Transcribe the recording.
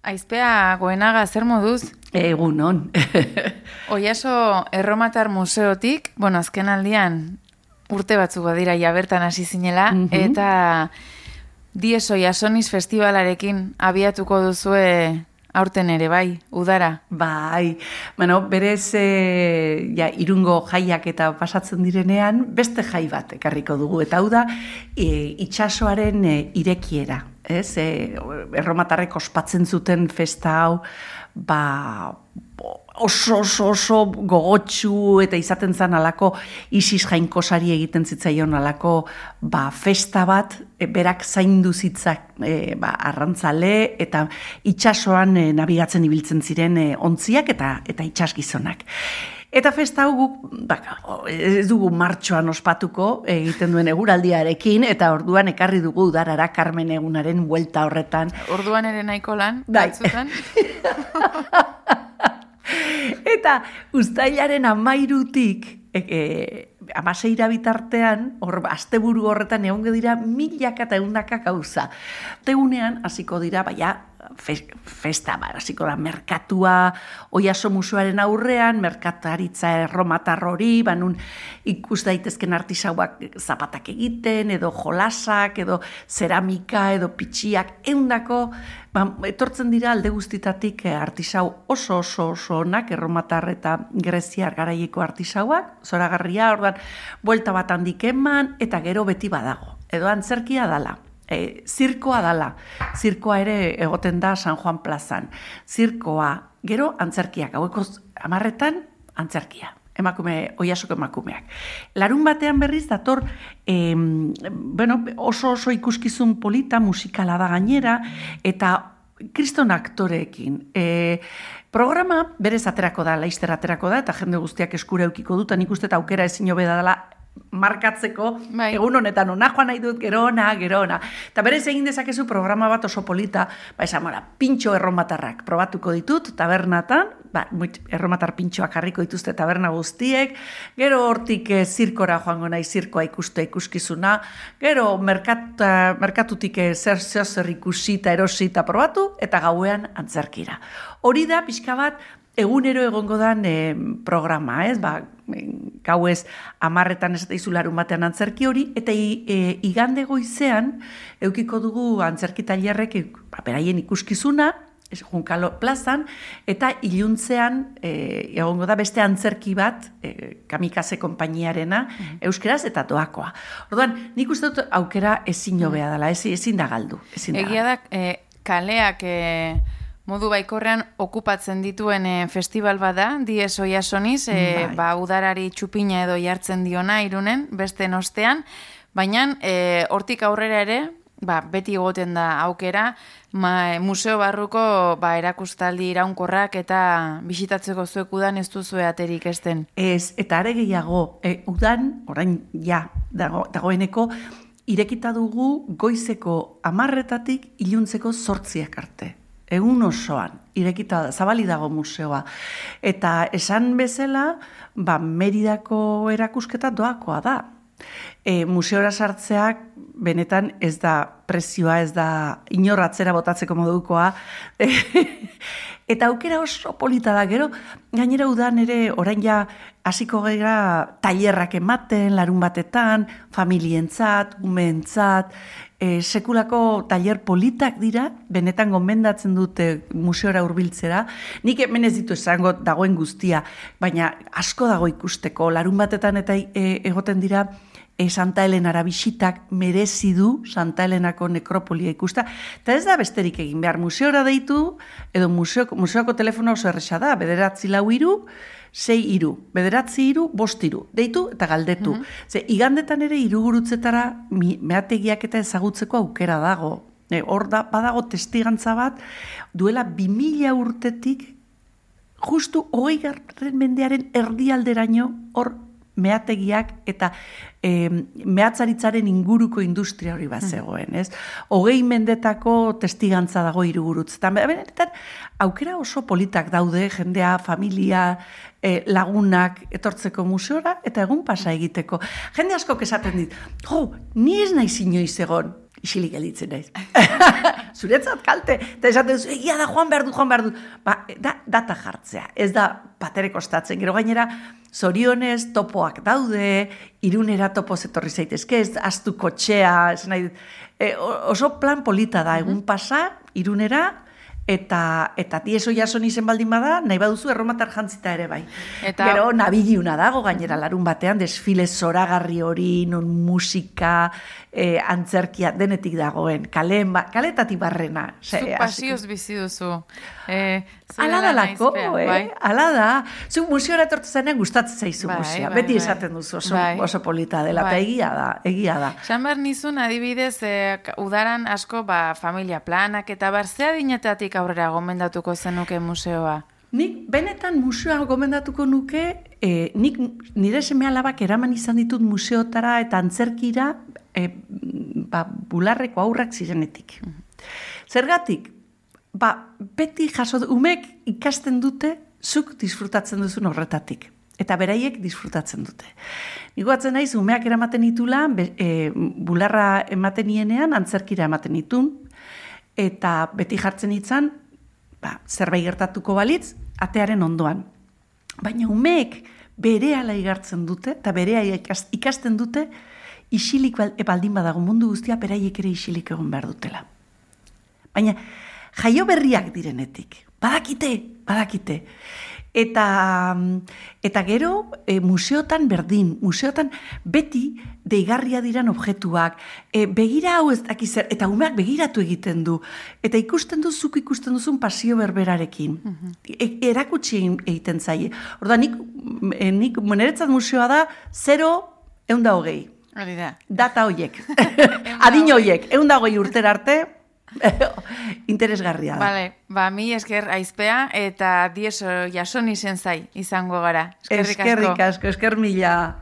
Aizpea Goenaga, zer moduz? Egunon. Oiaso Erromatar Museotik, azken aldian urte batzuk dira ja bertan hasi zinela, eta Dies Oiasoniz festivalarekin abiatuko duzue aurten ere, bai, udara. Bai, berez irungo jaiak eta pasatzen direnean, beste jai bat ekarriko dugu, eta hau da, itsasoaren irekiera. Erromatarrek ospatzen zuten festa hau, oso gogotsu eta izaten zen alako Isis jainkosari egiten zitzaion alako festa bat, berak zaindu zitzak arrantzale eta itsasoan nabigatzen ibiltzen ziren ontziak eta itsasgizonak. Eta festa hau guk, ez dugu martxoan ospatuko egiten duen eguraldiarekin, eta orduan ekarri dugu udarara Karmen egunaren buelta horretan. Orduan ere nahiko lan, batzutan? Eta uztailaren 13tik, 16 bitartean, asteburu horretan egongo dira milaka eta ehundaka gauza. Tegunean hasiko dira, festa, hasiko da merkatua, Oiaso museoaren aurrean, merkataritza erromatar hori, nun ikus daitezken artisauak zapatak egiten, edo jolasak, edo zeramika, edo pitxiak, ehundako, etortzen dira alde guztitatik artisau oso onak, erromatar eta greziar garaieko artisauak, zoragarria, orduan, buelta bat handik eman, eta gero beti badago, edo antzerkia dala. Zirkoa dala, zirkoa ere egoten da San Juan plazan. Zirkoa, gero antzerkiak, haueko 10 antzerkia, Oiasoko emakumeak. Larun batean berriz dator, oso ikuskizun polita, musikala da gainera, eta kriston aktoreekin. Programa berez aterako da, laizter aterako da, eta jende guztiak eskura eukiko dut, nik uste aukera ezin hobeda dela, markatzeko, egun honetan ona joan nahi dut, gero ona. Eta berez egin dezakezu programa bat oso polita, pintxo erromatarrak probatuko ditut, tabernatan, erromatar pintxoak jarriko dituzte taberna guztiek, gero hortik zirkora joango nahi zirkoa ikuskizuna, gero merkatutik zer ikusi eta erosi eta probatu, eta gauean antzerkira. Hori da, pixka bat, egunero egongo dan programa, gauez 10 ez daizu larun batean antzerki hori, eta igande goizean eukiko dugu antzerki tailerrek beraien ikuskizuna, Junkalo plazan, eta iluntzean egongo da beste antzerki bat, Kamikaze konpainiarena, euskeraz eta doakoa. Orduan, nik uste dut aukera ezin hobea dela, ezin da galdu. Egia da, kaleak modu baikorrean okupatzen dituen festival bada, Dies Oiasoniz, udarari txupina edo jartzen diona Irunen, beste ostean, baina hortik aurrera ere, beti egoten da aukera, museo barruko erakustaldi iraunkorrak eta bisitatzeko zuek udan ez duzue aterik esten. Ez, eta are gehiago, udan, orain dagoeneko, irekita dugu goizeko 10 iluntzeko 8 arte. Egun osoan, irekita zabali dago museoa. Eta esan bezala, Meridako erakusketa doakoa da. Museora sartzeak benetan ez da prezioa, ez da inor atzera botatzeko modukoa. Eta aukera oso polita da, gero, gainera udan ere orain ja hasiko gara tailerrak ematen, larun batetan, familientzat, umeentzat, sekulako tailer politak dira, benetan gomendatzen dute museora hurbiltzera. Nik hemen ez ditu esango dagoen guztia, baina asko dago ikusteko, larun batetan eta egoten dira, Santa Helenara bisitak merezi du Santa Helenako nekropolia ikusta. Eta ez da besterik egin behar museora deitu, edo museoko telefono oso erresa da, 943 6 3, 943 5 3, deitu eta galdetu. Ze igandetan ere hirugurutzetara meategiak eta ezagutzeko aukera dago. Hor badago testigantza bat, duela 2000 urtetik, justu 20. mendearen erdialderaino hor meategiak eta mehatzaritzaren inguruko industria hori bat zegoen, ez? 20 mendetako testigantza dago hirugurutzetan. Benetan, aukera oso politak daude, jendea, familia, lagunak etortzeko museora, eta egun pasa egiteko. Jende askok esaten dit, ni ez naiz inoiz egon, isilik gelditzen naiz. zuretzat kalte, eta esaten zu, egia da, joan behar du. Ba, data jartzea, ez da patere kostatzen, gero gainera, zorionez topoak daude, Irunera topoz etorri zaitezke, ez astu kotxea, ez nahi, oso plan polita da, egun pasa, Irunera, eta Diez Oiason izen baldin bada, nahi baduzu erromatar jantzita ere bai. Gero nabiliuna dago, gainera larun batean, desfile zoragarri hori, non musika, antzerkia, denetik dagoen, kaletatik barrena. Zuk pasioz bizi duzu. Ala da lako, ala da. Zuk museora etortu zenean gustatzen zaizu musea. Beti esaten duzu oso polita dela, eta egia da. Esan behar nizun, adibidez, udaran asko familia planak, eta ze adinetatik aurrera gomendatuko zenuke museoa? Nik benetan museoa gomendatuko nuke, nik nire seme-alabak eraman izan ditut museotara eta antzerkira bularreko aurrak zirenetik. Zergatik? Beti umek ikasten dute, zuk disfrutatzen duzun horretatik. Eta beraiek disfrutatzen dute. Nigo atzen naiz, umeak eramaten ditula, bularra ematen nienean, antzerkira ematen ditun, eta beti jartzen itzan, zerbait gertatuko balitz, atearen ondoan. Baina umeek berehala igartzen dute, eta berea ikasten dute, isilik baldin badago mundu guztia, beraiek ere isilik egon behar dutela. Baina, jaio berriak direnetik. Badakite. Eta gero, museotan berdin, museotan beti deigarria diran objektuak, begira hau ez dakizer, eta umeak begiratu egiten du, eta zuk ikusten duzun pasio berberarekin. Erakutsi egiten zaie. Orda, nik niretzat museoa da 0-120. Data hoiek. Adin hoiek, 120 urtera arte, interesgarria da. Bale, mi esker Aizpea eta Diez Oiason izen zai izango gara. Eskerrik asko, esker mila.